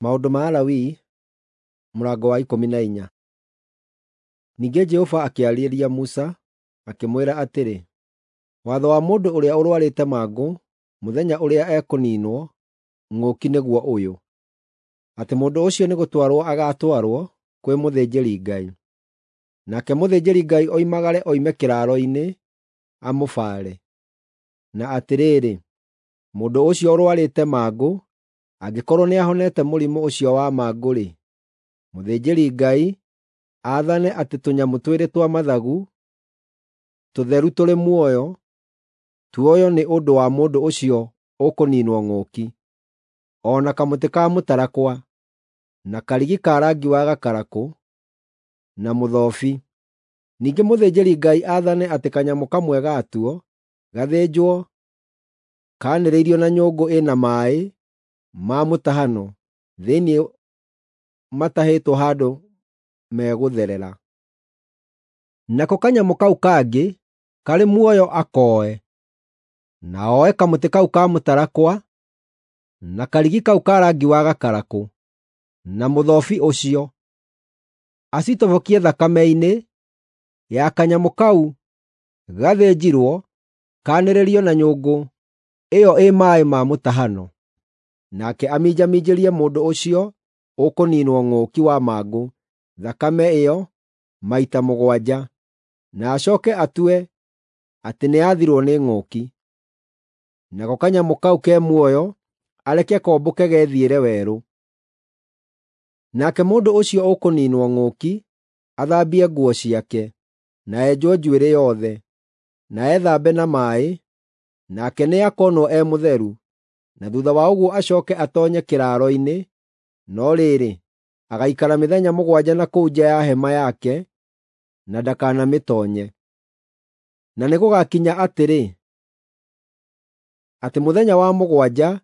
Maũndũ ma Alawii 14. Ningĩ Jehova akĩarĩria Musa, akĩmwĩra atĩrĩ, “Watho wa mũndũ ũrĩa ũrũarĩte mangũ mũthenya ũrĩa ekũniinwo ng'ũki nĩguo ũyũ: atĩ mũndũ ũcio nĩgũtwarwo agaatwarwo kwĩ mũthĩnjĩri-Ngai. Nake mũthĩnjĩri-Ngai oimagare oime kĩraaro-inĩ amũbaare. Na atĩrĩrĩ, mũndũ ũcio ũrũarĩte mangũ angĩkorwo nĩahonete mũrimũ ũcio wa mangũ-rĩ, mũthĩnjĩri-Ngai aathane atĩ tũnyamũ twĩrĩ twa mathagu, tũtheru tũrĩ muoyo, tuoywo nĩ ũndũ wa mũndũ ũcio ũkũniinwo ng'ũki, o na kamũtĩ ka mũtarakwa, na karigi ka rangi wa gakarakũ, na mũthobi. Ningĩ mũthĩnjĩri-Ngai aathane atĩ kanyamũ kamwe gatuo gathĩnjwo kaanĩrĩirio na nyũngũ ĩna maaĩ ma mũtahano thĩinĩ matahĩtwo handũ megũtherera. Nako kanyamũ kau kangĩ karĩ muoyo akoe, na oe kamũtĩ kau ka mũtarakwa, na karigi kau ka rangi wa gakarakũ, na mũthobi ũcio, acitobokie thakame-inĩ ya kanyamũ kau gathĩnjirwo kaanĩrĩrio na nyũngũ ĩyo ĩ maaĩ ma mũtahano. Nake aminjaminjĩrie mũndũ ũcio ũkũniinwo ng'ũki wa mangũ thakame ĩyo maita mũgwanja, na acooke atue atĩ nĩathirwo nĩ ng'ũki. Nako kanyamũ kau ke muoyo areke kombũke gethiĩre werũ. Nake mũndũ ũcio ũkũniinwo ng'ũki athambie nguo ciake, na enjwo njuĩrĩ yothe, na ethambe na maaĩ, nake nĩakonwo e mũtheru, na thuutha wa ũguo acooke atoonye kĩraaro-inĩ, no rĩrĩ, agaikara mĩthenya mũgwanja na kũu nja ya hema yake na ndakanamĩtoonye. Na nĩgũgakinya atĩrĩ, atĩ mũthenya wa mũgwanja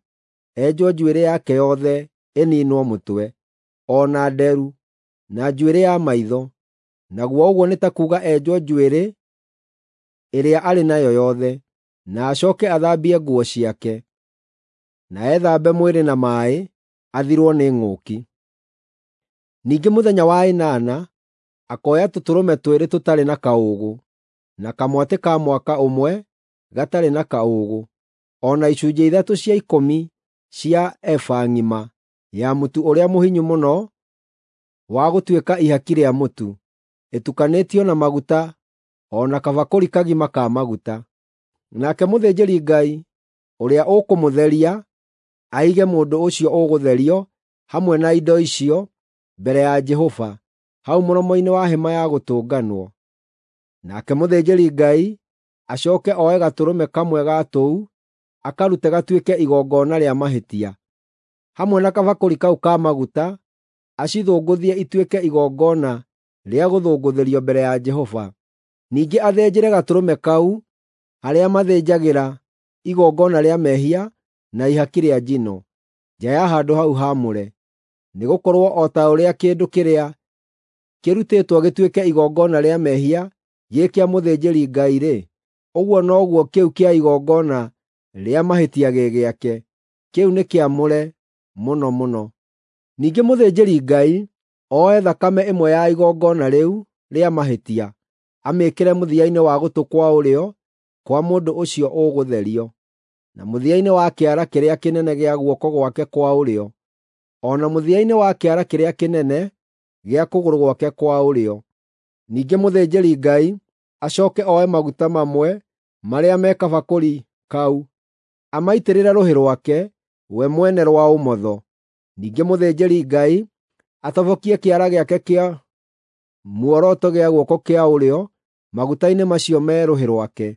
enjwo njuĩrĩ yake yothe ĩniinwo mũtwe, o na nderu, na njuĩrĩ ya maitho, naguo ũguo nĩ ta kuuga enjwo njuĩrĩ ĩrĩa arĩ nayo yothe, na acooke athambie nguo ciake, na ethambe mwĩrĩ na maaĩ, athirwo nĩ ng'ũki. Ningĩ mũthenya wa ĩnana akoya tũtũrũme twĩrĩ tũtarĩ na kaũũgũ, na kamwatĩ ka mwaka ũmwe gatarĩ na kaũũgũ, o na icunjĩ ithatũ cia ikũmi cia eba ng'ima ya mũtu ũrĩa mũhinyu mũno wa gũtuĩka ihaki rĩa mũtu, ĩtukanĩtio na maguta o na kabakũri kagima ka maguta. Nake mũthĩnjĩri-Ngai ũrĩa ũkũmũtheria aige mũndũ ũcio ũgũtherio hamwe na indo icio mbere ya Jehova hau mũromo-inĩ wa Hema-ya-Gũtũnganwo. Nake mũthĩnjĩri-Ngai acooke oe gatũrũme kamwe ga tũu akarute gatuĩke igongona rĩa mahĩtia, hamwe na kabakũri kau ka maguta acithũngũthie ituĩke igongona rĩa gũthũngũthĩrio mbere ya Jehova. Ningĩ athĩnjĩre gatũrũme kau harĩa mathĩnjagĩra igongona rĩa mehia na ihaki rĩa njino, nja ya handũ hau haamũre. Nĩgũkorwo o ta ũrĩa kĩndũ kĩrĩa kĩrutĩtwo gĩtuĩke igongona rĩa mehia gĩ kĩa mũthĩnjĩri-Ngai-rĩ, ũguo noguo kĩu kĩa igongona rĩa mahĩtia gĩ gĩake. Kĩu nĩ kĩamũre mũno mũno. Ningĩ mũthĩnjĩri-Ngai oe thakame ĩmwe ya igongona rĩu rĩa mahĩtia, amĩĩkĩre mũthia-inĩ wa gũtũ kwa ũrĩo kwa mũndũ ũcio ũgũtherio, na mũthia-inĩ wa kĩara kĩrĩa kĩnene gĩa guoko gwake kwa ũrĩo, o na mũthia-inĩ wa kĩara kĩrĩa kĩnene gĩa kũgũrũ gwake kwa ũrĩo. Ningĩ mũthĩnjĩri-Ngai acooke oe maguta mamwe marĩa me kabakũri kau, amaitĩrĩre rũhĩ rwake we mwene rwa ũmotho. Ningĩ mũthĩnjĩri-Ngai atobokie kĩara gĩake kĩa muoroto gĩa guoko kĩa ũrĩo maguta-inĩ macio me rũhĩ rwake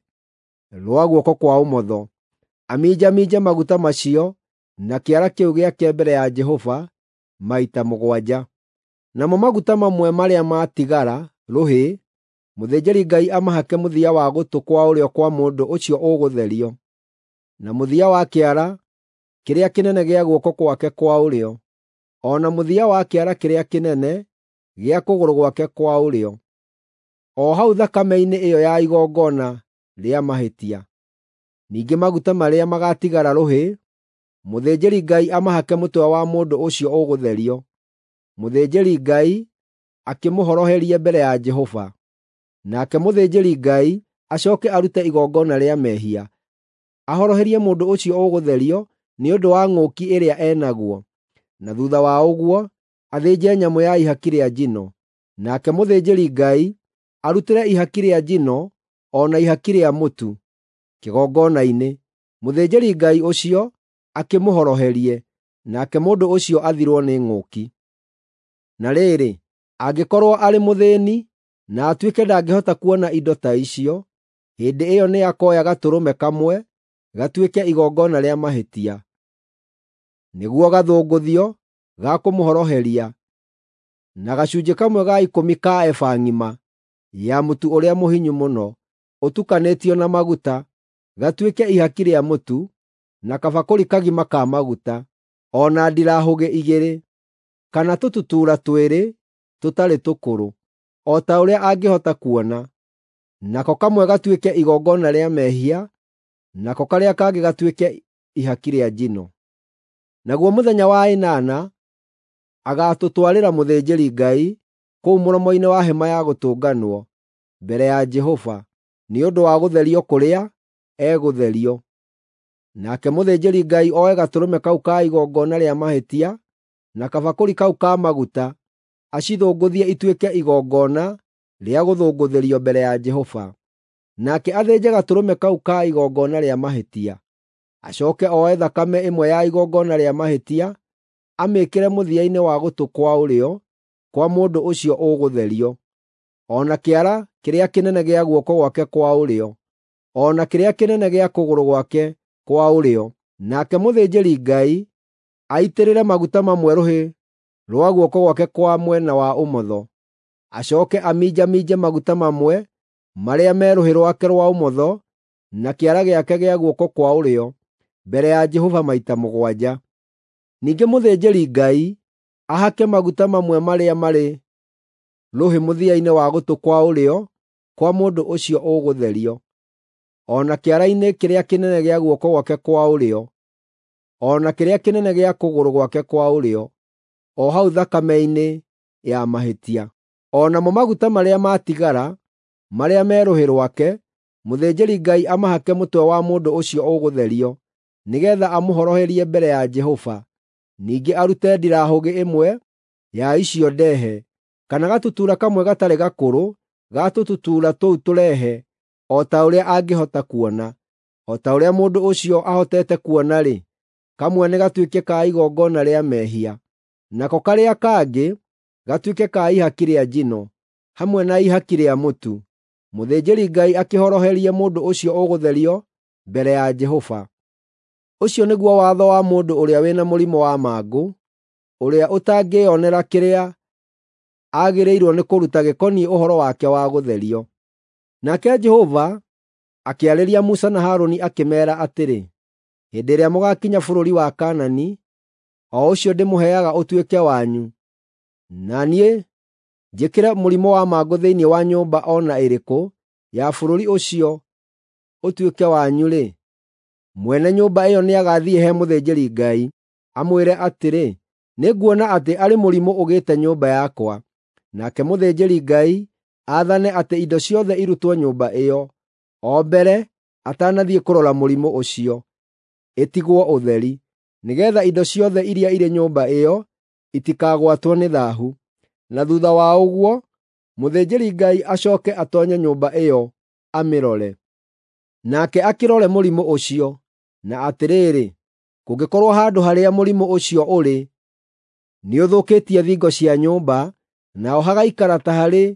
rwa guoko kwa ũmotho, aminjaminje maguta macio na kĩara kĩu gĩake mbere ya Jehova maita mũgwanja. Namo maguta mamwe marĩa matigara rũhĩ, mũthĩnjĩri-Ngai amahake mũthia wa gũtũ kwa ũrĩo kwa mũndũ ũcio ũgũtherio, na mũthia wa kĩara kĩrĩa kĩnene gĩa guoko gwake kwa ũrĩo, o na mũthia wa kĩara kĩrĩa kĩnene gĩa kũgũrũ gwake kwa ũrĩo, o hau thakame-inĩ ĩyo ya igongona rĩa mahĩtia. Ningĩ maguta marĩa magatigara rũhĩ, Mũthĩnjĩri-Ngai amahake mũtwe wa mũndũ ũcio ũgũtherio, mũthĩnjĩri-Ngai akĩmũhoroherie mbere ya Jehova. Nake mũthĩnjĩri-Ngai acooke arute igongona rĩa mehia, ahoroherie mũndũ ũcio ũgũtherio nĩ ũndũ wa ng'ũki ĩrĩa e naguo, na thuutha wa ũguo athĩnje nyamũ ya ihaki rĩa njino. Nake mũthĩnjĩri-Ngai arutĩre ihaki rĩa njino o na ihaki rĩa mũtu kĩgongona-inĩ, mũthĩnjĩri-Ngai ũcio akĩmũhoroherie, nake mũndũ ũcio athirwo nĩ ng'ũki. Na rĩrĩ, angĩkorwo arĩ mũthĩĩni na atuĩke ndangĩhota kuona indo ta icio, hĩndĩ ĩyo nĩakoya gatũrũme kamwe gatuĩke igongona rĩa mahĩtia, nĩguo gathũngũthio ga kũmũhoroheria, na gacunjĩ kamwe ga ikũmi ka eba ng'ima ya mũtu ũrĩa mũhinyu mũno ũtukanĩtio na maguta, gatuĩke ihaki rĩa mũtu, na kabakũri kagima ka maguta, o na ndirahũgĩ igĩrĩ, kana tũtutuura twĩrĩ tũtarĩ tũkũrũ, o ta ũrĩa angĩhota kuona. Nako kamwe gatuĩke igongona rĩa mehia, nako karĩa kangĩ gatuĩke ihaki rĩa njino. Naguo mũthenya wa ĩnana agaatũtwarĩra mũthĩnjĩri-Ngai kũu mũromo-inĩ wa Hema-ya Gũtũnganwo mbere ya Jehova, nĩ ũndũ wa gũtherio kũrĩa egũtherio. Nake mũthĩnjĩri-Ngai oe gatũrũme kau ka igongona rĩa mahĩtia na kabakũri kau ka maguta, acithũngũthie ituĩke igongona rĩa gũthũngũthĩrio mbere ya Jehova. Nake athĩnje gatũrũme kau ka igongona rĩa mahĩtia. Acooke oe thakame ĩmwe ya igongona rĩa mahĩtia, amĩĩkĩre mũthia-inĩ wa gũtũ kwa ũrĩo kwa mũndũ ũcio ũgũtherio, o na kĩara kĩrĩa kĩnene gĩa guoko gwake kwa ũrĩo, o na kĩrĩa kĩnene gĩa kũgũrũ gwake kwa ũrĩo. Nake mũthĩnjĩri-Ngai aitĩrĩre maguta mamwe rũhĩ rwa guoko gwake kwa mwena wa ũmotho, acooke aminjaminje maguta mamwe marĩa me rũhĩ rwake rwa ũmotho na kĩara gĩake gĩa guoko kwa ũrĩo mbere ya Jehova maita mũgwanja. Ningĩ mũthĩnjĩri-Ngai ahake maguta mamwe marĩa marĩ rũhĩ mũthia-inĩ wa gũtũ kwa ũrĩo kwa mũndũ ũcio ũgũtherio, o na kĩara-inĩ kĩrĩa kĩnene gĩa guoko gwake kwa ũrĩo, o na kĩrĩa kĩnene gĩa kũgũrũ gwake kwa ũrĩo, o hau thakame-inĩ ya mahĩtia. O namo maguta marĩa matigara, marĩa me rũhĩ rwake, mũthĩnjĩri-Ngai amahake mũtwe wa mũndũ ũcio ũgũtherio, nĩgeetha amũhoroherie mbere ya Jehova. Ningĩ arute ndirahũgĩ ĩmwe ya icio ndehe, kana gatutura kamwe gatarĩ gakũrũ ga tũtutuura tũu tũrehe o ta ũrĩa angĩhota kuona. O ta ũrĩa mũndũ ũcio ahotete kuona-rĩ, kamwe nĩ gatuĩke ka igongona rĩa mehia, nako karĩa kangĩ gatuĩke ka ihaki rĩa njino, hamwe na ihaki rĩa mũtu. Mũthĩnjĩri-Ngai akĩhoroherie mũndũ ũcio ũgũtherio mbere ya Jehova. Ũcio nĩguo watho wa mũndũ ũrĩa wĩ na mũrimũ wa mangũ, ũrĩa ũtangĩĩonera kĩrĩa agĩrĩirwo nĩ kũruta gĩkoniĩ ũhoro wake wa gũtherio. Nake Jehova akĩarĩria Musa na Harũni akĩmeera atĩrĩ, “Hĩndĩ ĩrĩa mũgaakinya bũrũri wa Kaanani, o ũcio ndĩmũheaga ũtuĩke wanyu, na niĩ njĩkĩre mũrimũ wa mangũ thĩinĩ wa nyũmba o na ĩrĩkũ ya bũrũri ũcio ũtuĩke wanyu-rĩ, mwene nyũmba ĩyo nĩagathiĩ he mũthĩnjĩri-Ngai, amwĩre atĩrĩ, ‘Nĩnguona atĩ arĩ mũrimũ ũgĩte nyũmba yakwa.’ Nake mũthĩnjĩri-Ngai aathane atĩ indo ciothe irutwo nyũmba ĩyo, o mbere atanathiĩ kũrora mũrimũ ũcio, ĩtigwo ũtheri, nĩgeetha indo ciothe iria irĩ nyũmba ĩyo itikagwatwo nĩ thaahu. Na thuutha wa ũguo, mũthĩnjĩri-Ngai acooke atoonye nyũmba ĩyo amĩrore. Nake akĩrore mũrimũ ũcio, na atĩrĩrĩ, kũngĩkorwo handũ harĩa mũrimũ ũcio ũrĩ nĩũthũkĩtie thingo cia nyũmba, naho hagaikara ta harĩ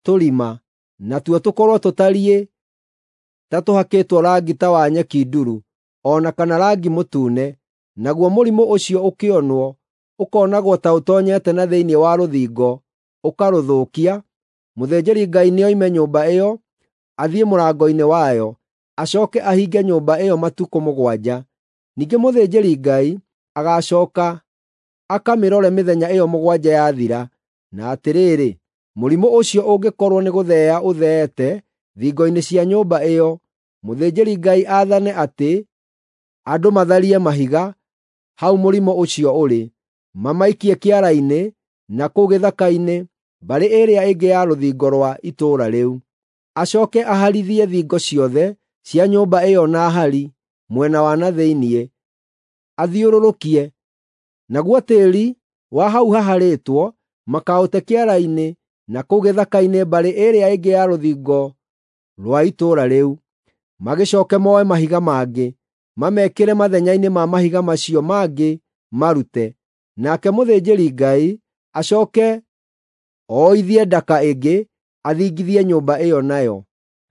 tũrima, natuo tũkorwo tũtariĩ ta tũhakĩtwo rangi ta wa nyeki nduru, o na kana rangi mũtune, naguo mũrimũ ũcio ũkĩonwo, ũkonagwo ta ũtoonyete na thĩinĩ wa rũthingo ũkarũthũkia, mũthĩnjĩri-Ngai nĩoime nyũmba ĩyo athiĩ mũrango-inĩ wayo, acooke ahinge nyũmba ĩyo matukũ mũgwanja. Ningĩ mũthĩnjĩri-Ngai agacooka akamĩrore mĩthenya ĩyo mũgwanja yathira, na atĩrĩrĩ, mũrimũ ũcio ũngĩkorwo nĩgũtheea ũtheete thingo-inĩ cia nyũmba ĩyo, mũthĩnjĩri-Ngai aathane atĩ Andũ matharie mahiga hau mũrimũ ũcio ũrĩ, mamaikie kĩara-inĩ na kũu gĩthaka-inĩ mbarĩ ĩrĩa ĩngĩ ya rũthingo rwa itũũra rĩu. Acooke aharithie thingo ciothe cia nyũmba ĩyo na hari mwena wa na thĩinĩ, athiũrũrũkie. Naguo tĩĩri wa hau haharĩtwo makaũte kĩara-inĩ na kũu gĩthaka-inĩ mbarĩ ĩrĩa ĩngĩ ya rũthingo rwa itũũra rĩu. Magĩcooke moe mahiga mangĩ, mamekĩre mathenya-inĩ ma mahiga macio mangĩ marute. Nake mũthĩnjĩri-Ngai acooke oithie ndaka ĩngĩ athingithie nyũmba ĩyo nayo.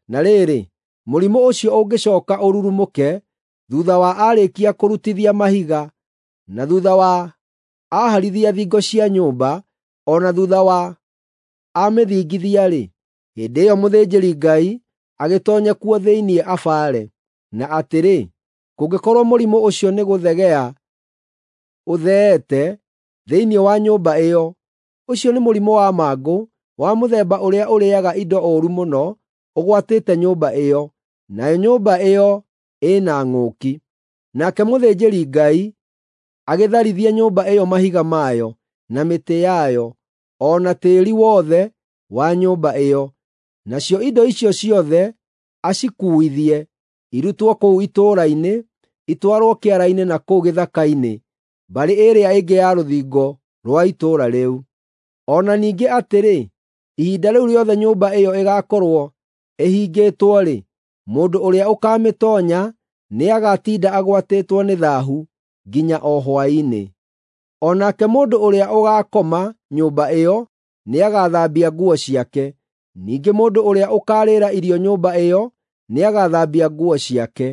Na rĩrĩ, mũrimũ ũcio ũngĩcooka ũrurumũke thuutha wa aarĩkia kũrutithia mahiga, na thuutha wa aaharithia thingo cia nyũmba, o na thuutha wa amĩthingithia-rĩ, hĩndĩ ĩyo mũthĩnjĩri-Ngai agĩtoonye kuo thĩinĩ abaare. Na atĩrĩ, kũngĩkorwo mũrimũ ũcio nĩgũthegea ũtheete thĩinĩ wa nyũmba ĩyo, ũcio nĩ mũrimũ wa mangũ wa mũthemba ũrĩa ũrĩĩaga indo ũũru mũno ũgwatĩte nyũmba ĩyo, nayo nyũmba ĩyo ĩna ng'ũki. Nake mũthĩnjĩri-Ngai agĩtharithie nyũmba ĩyo mahiga mayo, na mĩtĩ yayo, o na tĩĩri wothe wa nyũmba ĩyo. Nacio indo icio ciothe acikuuithie, irutwo kũu itũũra-inĩ, itwarwo kĩara-inĩ na kũu gĩthaka-inĩ mbarĩ ĩrĩa ĩngĩ ya rũthingo rwa itũũra rĩu. O na ningĩ atĩrĩ, ihinda rĩu rĩothe nyũmba ĩyo ĩgaakorwo ĩhingĩtwo-rĩ, mũndũ ũrĩa ũkaamĩtoonya nĩagatinda agwatĩtwo nĩ thaahu nginya o hwaĩ-inĩ. O nake mũndũ ũrĩa ũgaakoma nyũmba ĩyo nĩagathambia nguo ciake. Ningĩ mũndũ ũrĩa ũkaarĩĩra irio nyũmba ĩyo nĩagathambia nguo ciake.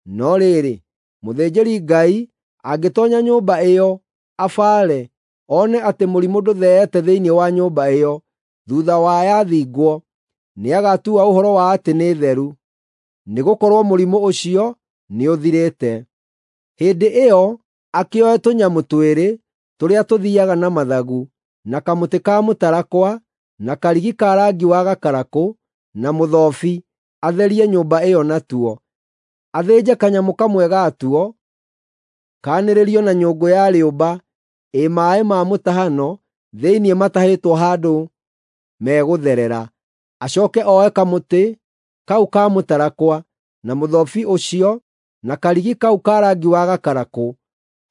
No rĩrĩ, mũthĩnjĩri-Ngai angĩtoonya nyũmba ĩyo abaare, one atĩ mũrimũ ndũtheete thĩinĩ wa nyũmba ĩyo thuutha wa yathingwo, nĩagatua ũhoro wa atĩ nĩ theru, nĩgũkorwo mũrimũ ũcio nĩũthirĩte. Hĩndĩ ĩyo akĩoe tũnyamũ twĩrĩ tũrĩa tũthiiaga na mathagu, na kamũtĩ ka mũtarakwa, na karigi ka rangi wa gakarakũ, na mũthobi, atherie nyũmba ĩyo natuo. Athĩnje kanyamũ kamwe gatuo, kaanĩrĩrio na nyũngũ ya rĩũmba ĩ maaĩ ma mũtahano thĩinĩ matahĩtwo handũ megũtherera. Acooke oe kamũtĩ kau ka mũtarakwa, na mũthobi ũcio, na karigi kau ka rangi wa gakarakũ,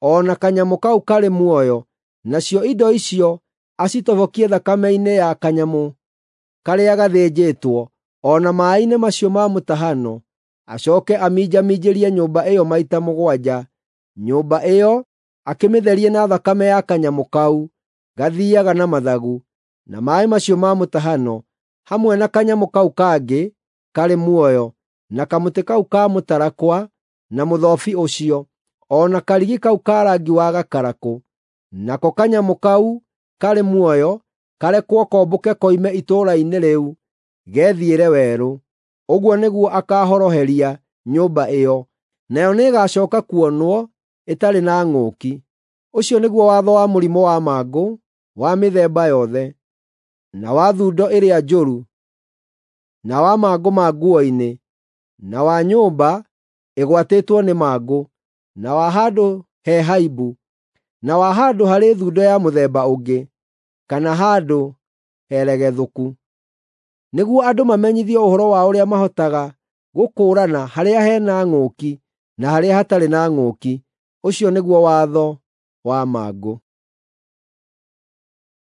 o na kanyamũ kau karĩ muoyo, nacio indo icio acitobokie thakame-inĩ ya kanyamũ karĩa gathĩnjĩtwo, o na maaĩ-inĩ macio ma mũtahano. Acooke aminjaminjĩrie nyũmba ĩyo maita mũgwanja, nyũmba ĩyo akĩmĩtherie na thakame ya kanyamũ kau gathiiaga na mathagu, na maaĩ macio ma mũtahano, hamwe na kanyamũ kau kangĩ karĩ muoyo, na kamũtĩ kau ka mũtarakwa, na mũthobi ũcio, o na karigi kau ka rangi wa gakarakũ. Nako kanyamũ kau karĩ muoyo karekwo kombũke koime itũũra-inĩ rĩu gethiĩre werũ. Ũguo nĩguo akaahoroheria nyũmba ĩyo, nayo nĩĩgacooka kuonwo ĩtarĩ na ng'ũki. Ũcio nĩguo watho wa mũrimũ wa mangũ wa mĩthemba yothe, na wa thundo ĩrĩa njũru, na wa mangũ ma nguo-inĩ, na wa nyũmba ĩgwatĩtwo nĩ mangũ, na wa handũ he haimbu, na wa handũ harĩ thundo ya mũthemba ũngĩ, kana handũ heregethũku. Nĩguo andũ mamenyithio ũhoro wa ũrĩa mahotaga gũkũũrana harĩa he na ng'ũki na harĩa hatarĩ na ng'ũki. Ũcio nĩguo watho wa mangũ.